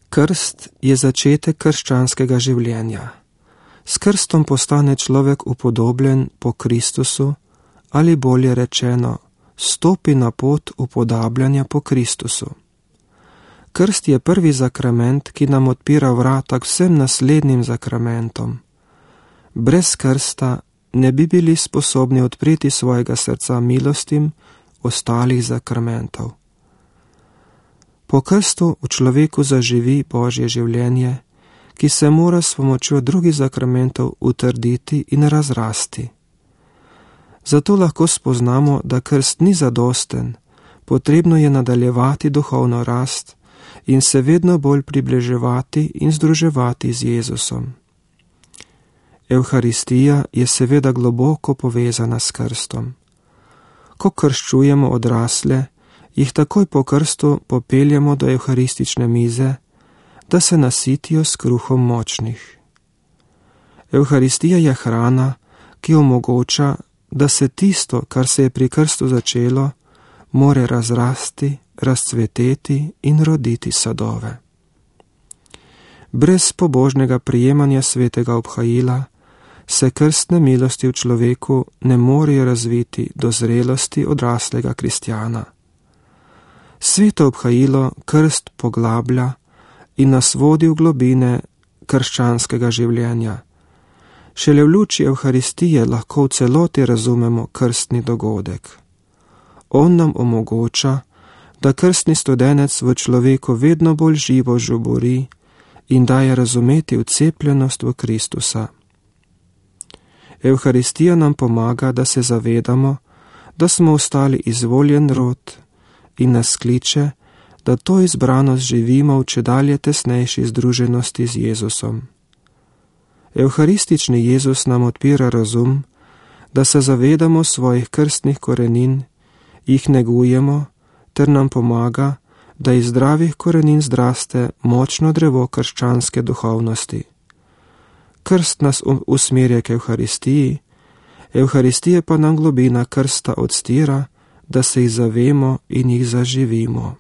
Krst je začetek krščanskega življenja. S krstom postane človek upodobljen po Kristusu, ali bolje rečeno, stopi na pot upodabljanja po Kristusu. Krst je prvi zakrament, ki nam odpira vrata k vsem naslednjim zakramentom. Brez krsta ne bi bili sposobni odpreti svojega srca milostim ostalih zakramentov. Po krstu v človeku zaživi Božje življenje, ki se mora s pomočjo drugih zakramentov utrditi in razrasti. Zato lahko spoznamo, da krst ni zadosten, potrebno je nadaljevati duhovno rast in se vedno bolj približevati in združevati z Jezusom. Evharistija je seveda globoko povezana s krstom. Ko krščujemo odrasle, jih takoj po krstu popeljemo do evharistične mize, da se nasitijo s kruhom močnih. Evharistija je hrana, ki omogoča, da se tisto, kar se je pri krstu začelo, more razrasti, razcveteti in roditi sadove. Brez pobožnega prijemanja svetega obhajila se krstne milosti v človeku ne morejo razviti do zrelosti odraslega kristjana. Sveto obhajilo krst poglablja in nas vodi v globine krščanskega življenja. Šele v luči Evharistije lahko v celoti razumemo krstni dogodek. On nam omogoča, da krstni studenec v človeku vedno bolj živo žubori in daje razumeti vcepljenost v Kristusa. Evharistija nam pomaga, da se zavedamo, da smo ostali izvoljen rod in nas kliče, da to izbranost živimo v čedalje tesnejši združenosti z Jezusom. Evharistični Jezus nam odpira razum, da se zavedamo svojih krstnih korenin, jih negujemo, ter nam pomaga, da iz zdravih korenin zraste močno drevo krščanske duhovnosti. Krst nas usmerja k Evharistiji, Evharistije pa nam globina krsta odstira, da se jih zavemo in jih zaživimo.